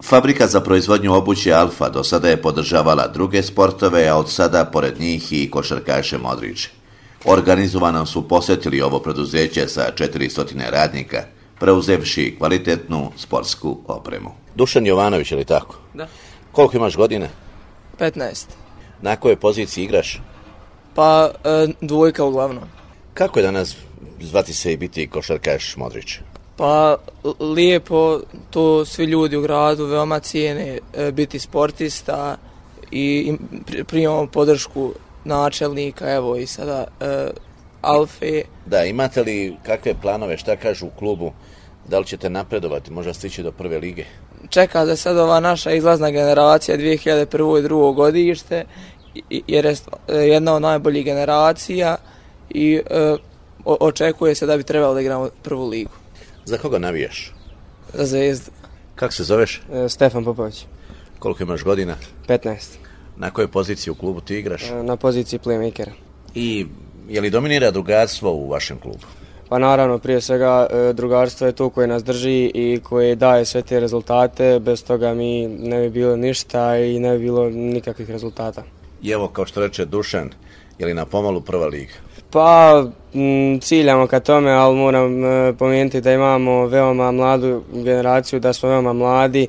Fabrika za proizvodnju obuće Alfa do sada je podržavala druge sportove, a od sada pored njih i košarkaše Modrić. Organizovano su posjetili ovo preduzeće sa 400 radnika, preuzevši kvalitetnu sportsku opremu. Dušan Jovanović, je li tako? Da. Koliko imaš godina? 15. Na kojoj poziciji igraš? Pa dvojka uglavnom. Kako je danas zvati se i biti košarkaš Modrić? Pa lijepo, to svi ljudi u gradu veoma cijene, biti sportista i primamo podršku načelnika, evo i sada Alfe. Da, imate li kakve planove, šta kažu u klubu, da li ćete napredovati, možda stići do prve lige? Čeka da sad ova naša izlazna generacija 2001. i 2002. godište, jer je jedna od najboljih generacija i očekuje se da bi trebalo da igramo prvu ligu. Za koga navijaš? Za Zvezdu. Kako se zoveš? Stefan Popović. Koliko imaš godina? 15. Na kojoj poziciji u klubu ti igraš? Na poziciji playmakera. I je li dominira drugarstvo u vašem klubu? Pa naravno, prije svega drugarstvo je to koje nas drži i koje daje sve te rezultate, bez toga mi ne bi bilo ništa i ne bi bilo nikakvih rezultata. I evo, kao što reče Dušan, je li na pomalu prva liga? Pa ciljamo ka tome, ali moram pomenuti da imamo veoma mladu generaciju, da smo veoma mladi,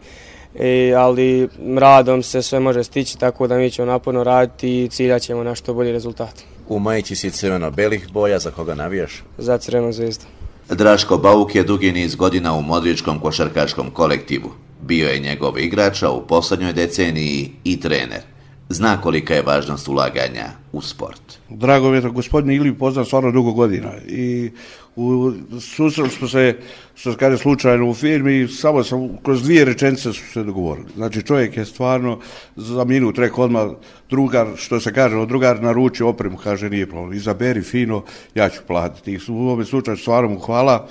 ali radom se sve može stići, tako da mi ćemo naporno raditi i ciljat ćemo na što bolji rezultat. U majici si crveno-belih boja, za koga navijaš? Za Crvenu Zvezdu. Draško Bauk je dugi niz godina u modričkom košarkaškom kolektivu. Bio je njegov igrač, a u posljednjoj deceniji i trener. Zna kolika je važnost ulaganja u sport. Drago mi je da gospodin Iliju poznam stvarno dugo godina i susreli smo se, što se kaže, slučajno u firmi i samo sam kroz 2 rečenice su se dogovorili. Znači čovjek je stvarno za minut rekao odmah drugar, što se kaže, drugar naruči opremu, kaže nije problem, izaberi fino, ja ću platiti. I u ovom slučaju stvarno mu hvala.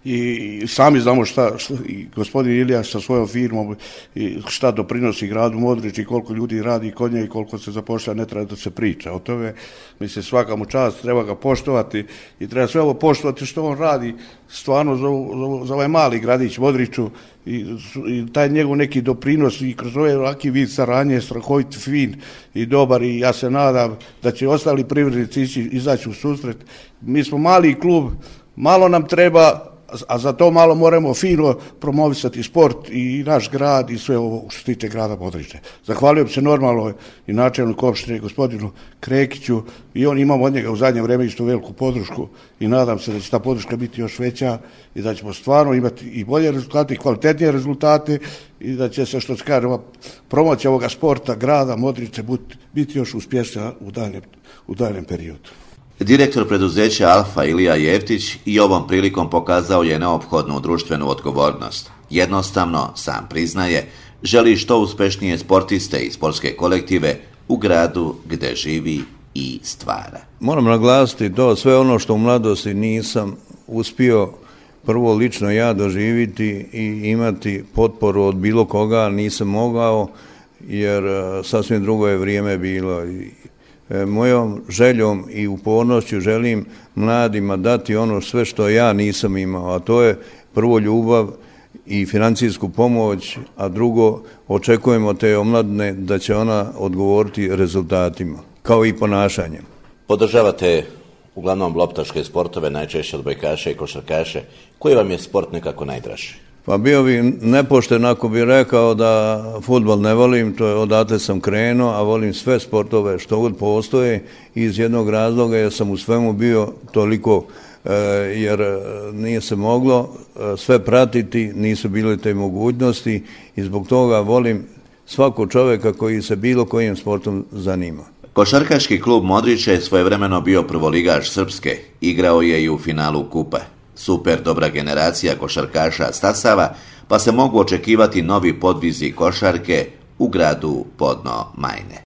I sami znamo šta i gospodin Ilija sa svojom firmom i šta doprinosi gradu Modrić i koliko ljudi radi kod nje i koliko se zapošlja, ne treba da se priča o tome. Mislim, svaka mu čast, treba ga poštovati i treba sve ovo poštovati što on radi stvarno za ovaj mali gradić Modriću i taj njegov neki doprinos i kroz ovaj ovaki vid saradnje strahovit, fin i dobar i ja se nadam da će ostali privrednici izaći u susret. Mi smo mali klub, malo nam treba, a za to malo moramo fino promovisati sport i naš grad i sve ovo što se tiče grada Modrića. Zahvaljujem se normalno i načelniku opštine gospodinu Krekiću i on imamo od njega u zadnje vrijeme isto veliku podršku i nadam se da će ta podrška biti još veća i da ćemo stvarno imati i bolje rezultate i kvalitetnije rezultate i da će se, što se kaže, promocija ovoga sporta grada Modrića biti još uspješnija u daljem periodu. Direktor preduzeća Alfa Ilija Jeftić i ovom prilikom pokazao je neophodnu društvenu odgovornost. Jednostavno, sam priznaje, želi što uspješnije sportiste i sportske kolektive u gradu gdje živi i stvara. Moram naglasiti to, sve ono što u mladosti nisam uspio prvo lično ja doživiti i imati potporu od bilo koga, nisam mogao, jer sasvim drugo je vrijeme bilo. Mojom željom i upornošću želim mladima dati ono sve što ja nisam imao, a to je prvo ljubav i financijsku pomoć, a drugo očekujemo te omladine da će ona odgovoriti rezultatima, kao i ponašanjem. Podržavate uglavnom loptaške sportove, najčešće odbojkaše i košarkaše. Koji vam je sport nekako najdraži? Pa bio bi nepošten ako bi rekao da fudbal ne volim, to je odatle sam krenuo, a volim sve sportove što god postoje iz jednog razloga jer sam u svemu bio toliko, jer nije se moglo sve pratiti, nisu bile te mogućnosti i zbog toga volim svakog čovjeka koji se bilo kojim sportom zanima. Košarkaški klub Modrića je svojevremeno bio prvoligaš Srpske, igrao je i u finalu kupa. Super dobra generacija košarkaša stasava, pa se mogu očekivati novi podvizi košarke u gradu Podno Majne.